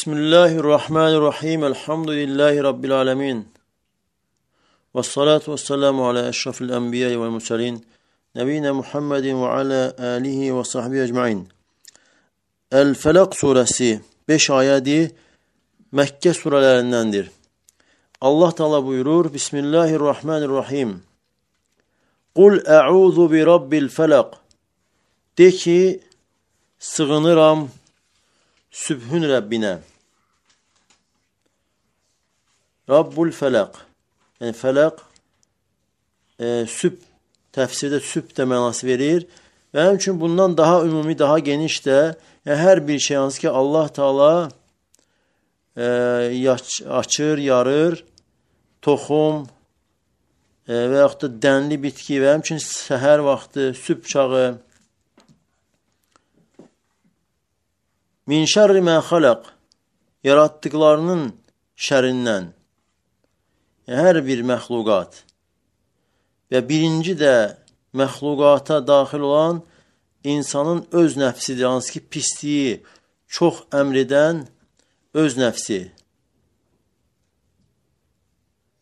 Bismillahirrahmanirrahim. Elhamdülillahi Rabbil alemin. Vessalatu vesselamu ala eşrafil enbiya vel murselin. Nebiyina Muhammedin ve ala alihi ve sahbihi ecmain. El-Felak suresi 5 ayeti Mekke surelerindendir. Allah Teala buyurur. Bismillahirrahmanirrahim. Kul e'udhu bi rabbil felak. De ki, sığınıram Sübhün Rabbine. Rabbul felak. Yani felak süb, tefsirde süb de manası verir. Ve hem için bundan daha ümumi, daha geniş de yani her bir şey ki Allah Teala açır, yarır, toxum və yaxud da dənli bitki və həmçinin səhər vaxtı, sübh çağı. Min şərri mə xalaq, yaratdıqlarının şərindən, hər bir məxluqat və birinci də məxluqata daxil olan insanın öz nəfsidir, hansı ki pisliyi çox əmr edən öz nəfsi.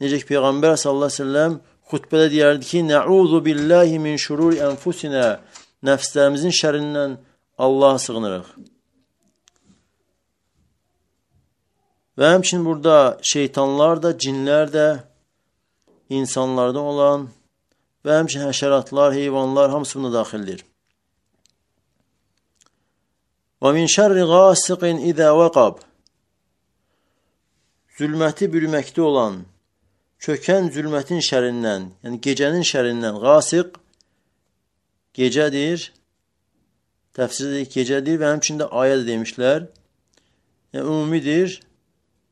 Necə ki Peyğəmbər sallallahu əleyhi və səlləm xutbədə deyərdi ki, "Nəuzu billahi min şururi enfusinə", nəfslərimizin şərrindən Allaha sığınırıq. Və həmçinin burada şeytanlar da, cinlər də, insanlardan olan və həmçinin həşəratlar, heyvanlar hamısı buna daxildir. Və min şərri qasiqin izə vəqab, zülməti bürüməkdə olan, çökən zülmətin şərindən, yəni gecənin şərindən, qasiq gecədir, təfsirdə gecədir və həmçində ayə də demişlər, yəni ümumidir.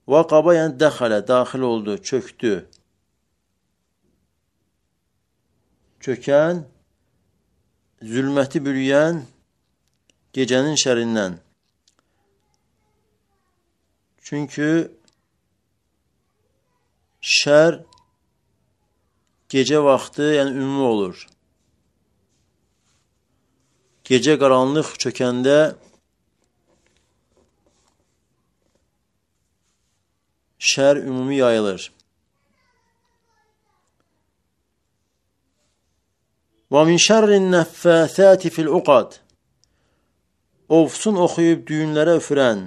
Vaqaba yəni dəxələ, daxil oldu, çöktü. Çökən, zülməti bürüyən gecənin şərindən. Çünki şər gecə vaxtı, yəni ümumi olur. Gecə qaranlıq çökəndə şər ümumi yayılır. Və min şərrin nəffəthəti fil uqad, ovsun oxuyub düyünlərə üfürən,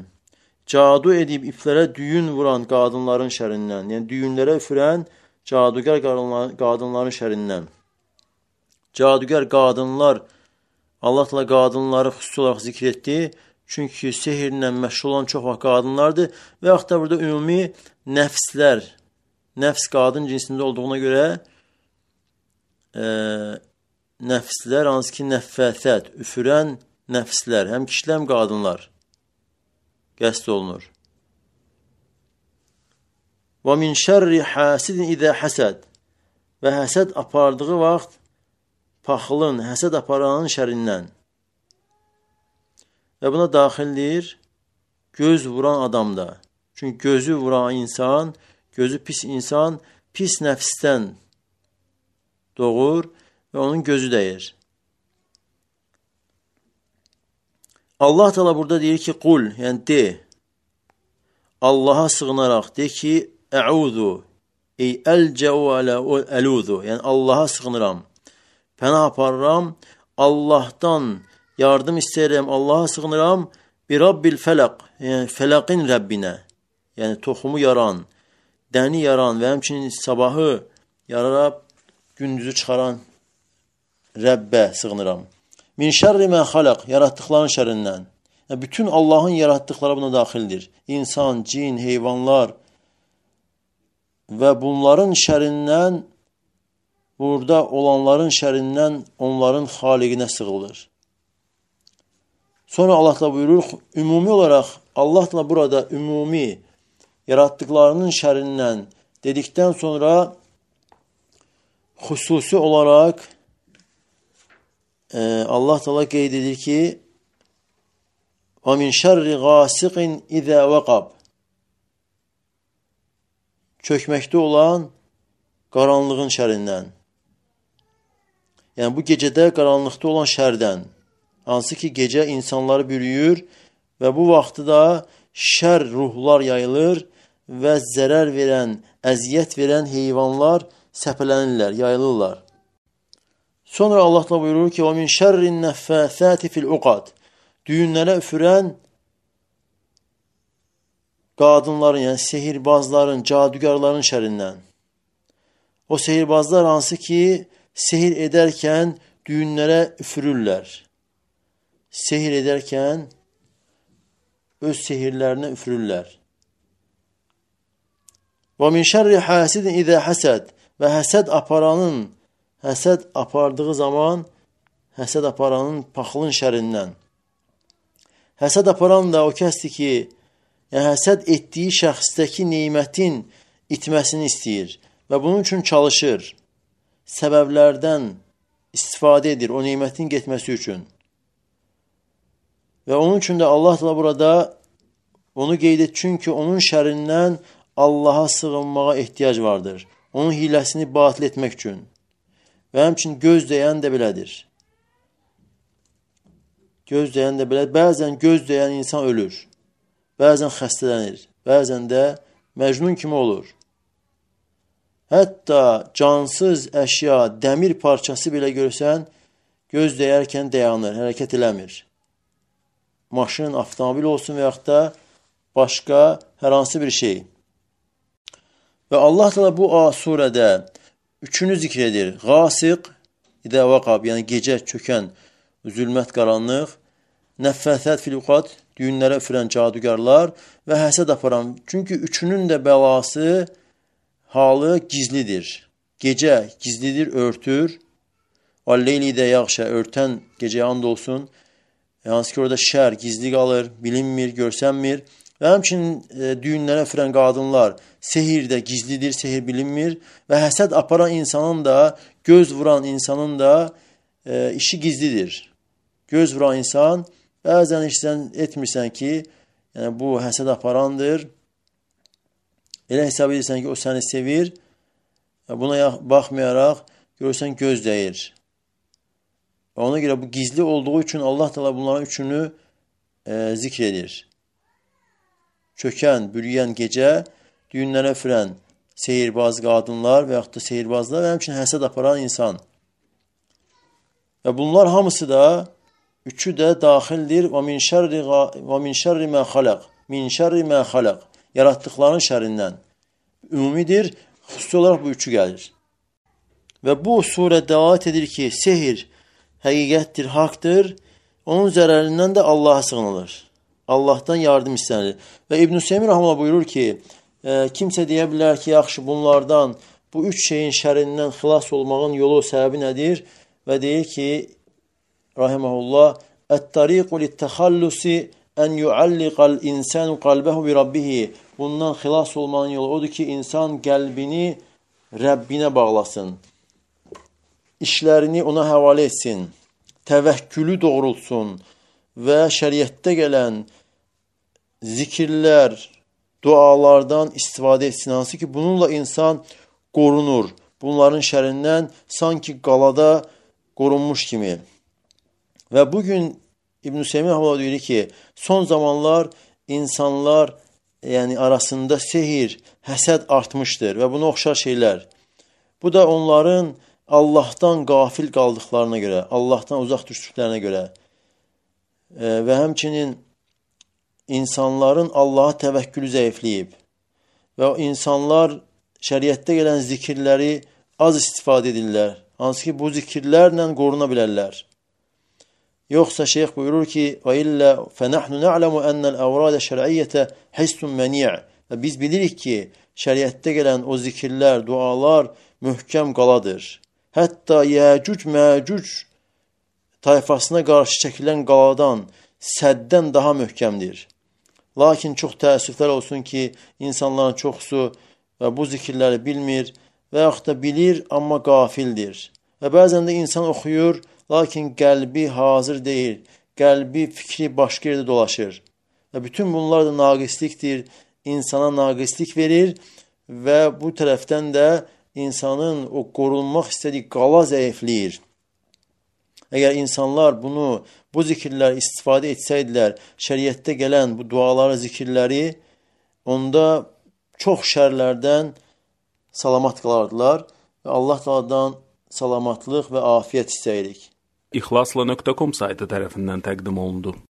cadu edib iplərə düyün vuran qadınların şərindən, yəni düyünlərə üfürən cadugər qadınların şərindən. Cadugər qadınlar, Allah Teala qadınları xüsusi olaraq zikr etdi. Çünki sehirlə məşğul olan çox vaxt qadınlardır və yaxud da burada ümumi nəfslər, nəfs qadın cinsində olduğuna görə nəfslər, hansı ki nəffəthət, üfürən nəfslər, həm kişilər, həm qadınlar qəsd olunur. Və min şərri hasidin izə həsəd, və həsəd apardığı vaxt paxılın, həsəd aparanın şərindən. Və buna daxildir göz vuran adam da. Çünki gözü vuran insan, gözü pis insan, pis nəfsdən doğur və onun gözü dəyir. Allah Teala burada deyir ki, qul, yəni de, Allaha sığınaraq de ki, əuzu, ey əlcəu alə əluzu, yəni Allaha sığınıram, pənah aparıram, Allahdan yardım istəyirəm, Allaha sığınıram, bi rabbil felaq, yəni felaqin Rəbbinə, yəni toxumu yaran, dəni yaran və həmçinin sabahı yararab, gündüzü çıxaran Rəbbə sığınıram. Min şərri mə xalaq, yaratdıqların şərindən. Yəni, bütün Allahın yaratdıqları buna daxildir. İnsan, cin, heyvanlar və bunların şərindən, burada olanların şərindən onların xaliqinə sığılır. Sonra Allah da buyurur, ümumi olaraq Allah da burada ümumi yaratdıqlarının şərindən dedikdən sonra xüsusi olaraq Allah Teala qeyd edir ki, və min şərri qasiqin izə vəqab, çökməkdə olan qaranlığın şərindən. Yəni bu gecədə qaranlıqda olan şərdən. Hansı ki gecə insanları bürüyür və bu vaxtı da şər ruhlar yayılır və zərər verən, əziyyət verən heyvanlar səpələnirlər, yayılırlar. Sonra Allah da buyurur ki: "Və min şerrin nəffəsati fil uqad." Düyünlərə üfürən qadınların, yəni sehirbazların, cadügarların şərindən. O sehirbazlar hansı ki, sehir edərkən düyünlərə üfürürlər. Sehir edərkən öz sehirlərinə üfürürlər. Və min şerri hasidin izə həsəd. Və həsəd apardığı zaman, həsəd aparanın paxılın şərindən. Həsəd aparan da o kəsdir ki, yəni həsəd etdiyi şəxsdəki nemətin itməsini istəyir və bunun üçün çalışır. Səbəblərdən istifadə edir o nemətin getməsi üçün. Və onun üçün də Allah da burada onu qeyd et, çünki onun şərindən Allaha sığınmağa ehtiyac vardır. Onun hiləsini batil etmək üçün. Və həmçinin göz dəyən də belədir. Göz dəyən də belədir. Bəzən göz dəyən insan ölür. Bəzən xəstələnir. Bəzən də məcnun kimi olur. Hətta cansız əşya, dəmir parçası belə görsən, göz dəyərkən dayanır, hərəkət eləmir. Maşın, avtomobil olsun və yaxud da başqa hər hansı bir şey. Və Allah da bu surədə üçünü zikr edir. Qasiq, idə vaqab, yəni gecə çökən zülmət, qaranlıq, nəffəsət fil uqad, düyünlərə üfürən cadügarlar və həsəd aparan. Çünki üçünün də bəlası, halı gizlidir. Gecə gizlidir, örtür. Vəlleyli də yağşə, örtən gecəyə and olsun. Hansı ki, orada şər gizli qalır, bilinmir, görsənmir. Və həmçinin düyünlərə üfürən qadınlar, sehir də gizlidir, sehir bilinmir. Və həsəd aparan insanın da, göz vuran insanın da işi gizlidir. Göz vuran insan, bəzən heç sən etmirsən ki, yəni bu həsəd aparandır. Elə hesab edirsən ki, o səni sevir. Buna baxmayaraq, görürsən göz dəyir. Və ona görə bu gizli olduğu üçün Allah da bunların üçünü zikr edir. Çökən, bürüyən gecə, düyünlərə üfürən sehirbaz qadınlar və yaxud da sehirbazlar və həmçinin həsəd aparan insan. Və bunlar hamısı da, üçü də daxildir. Və min şerri mə xaləq. Min şerri mə xaləq. Yaratdıqların şərindən. Ümumidir, xüsusi olaraq bu üçü gəlir. Və bu surə dəlalət edir ki, sehir həqiqətdir, haqdır. Onun zərərindən də Allaha sığınılır. Allahdan yardım istənir. Və İbn Hüseyin Rəhməllah buyurur ki, kimsə deyə bilər ki, yaxşı bunlardan, bu üç şeyin şərindən xilas olmağın yolu, səbəbi nədir? Və deyir ki, Rahiməhullah, Ət-tariqu lit-təxallusi ən yualliqal insanu qalbəhu bi rabbihi. Bundan xilas olmanın yolu odur ki, insan qəlbini Rəbbinə bağlasın. İşlərini ona həvalə etsin. Təvəkkülü doğrultsun və şəriətdə gələn zikirlər, dualardan istifadə etsin. Hansı ki, bununla insan qorunur. Bunların şərindən sanki qalada qorunmuş kimi. Və bugün İbn Hüseyin Rəhməllah deyir ki, son zamanlar insanlar arasında sehir, həsəd artmışdır və buna oxşar şeylər. Bu da onların Allahdan qafil qaldıqlarına görə, Allahdan uzaq düşdüklərinə görə və həmçinin insanların Allaha təvəkkülü zəifləyib və insanlar şəriətdə gələn zikirləri az istifadə edirlər. Hansı ki, bu zikirlərlə qoruna bilərlər. Yoxsa şeyx buyurur ki, وَإِلَّا فَنَحْنُ نَعْلَمُ أَنَّ الْأَوْرَادَ شَرْعِيَّةَ حِسٌ مَنِيعٌ. Və biz bilirik ki, şəriətdə gələn o zikirlər, dualar möhkəm qaladır. Hətta Yəcuc-Məcuc tayfasına qarşı çəkilən qaladan, səddən daha möhkəmdir. Lakin çox təəssüflər olsun ki, insanların çoxusu bu zikirləri bilmir və yaxud da bilir, amma qafildir. Və bəzən də insan oxuyur, lakin qəlbi hazır deyil, qəlbi, fikri başqa yerdə dolaşır. Və bütün bunlar da naqislikdir, insana naqislik verir və bu tərəfdən də insanın o qorunmaq istədiyi qala zəifləyir. Əgər insanlar bu zikirlər istifadə etsəydilər, şəriətdə gələn bu duaları, zikirləri, onda çox şərlərdən salamat qalardılar və Allah Taala'dan salamatlıq və afiyət istəyirik. İxlasla.com saytı tərəfindən təqdim olundu.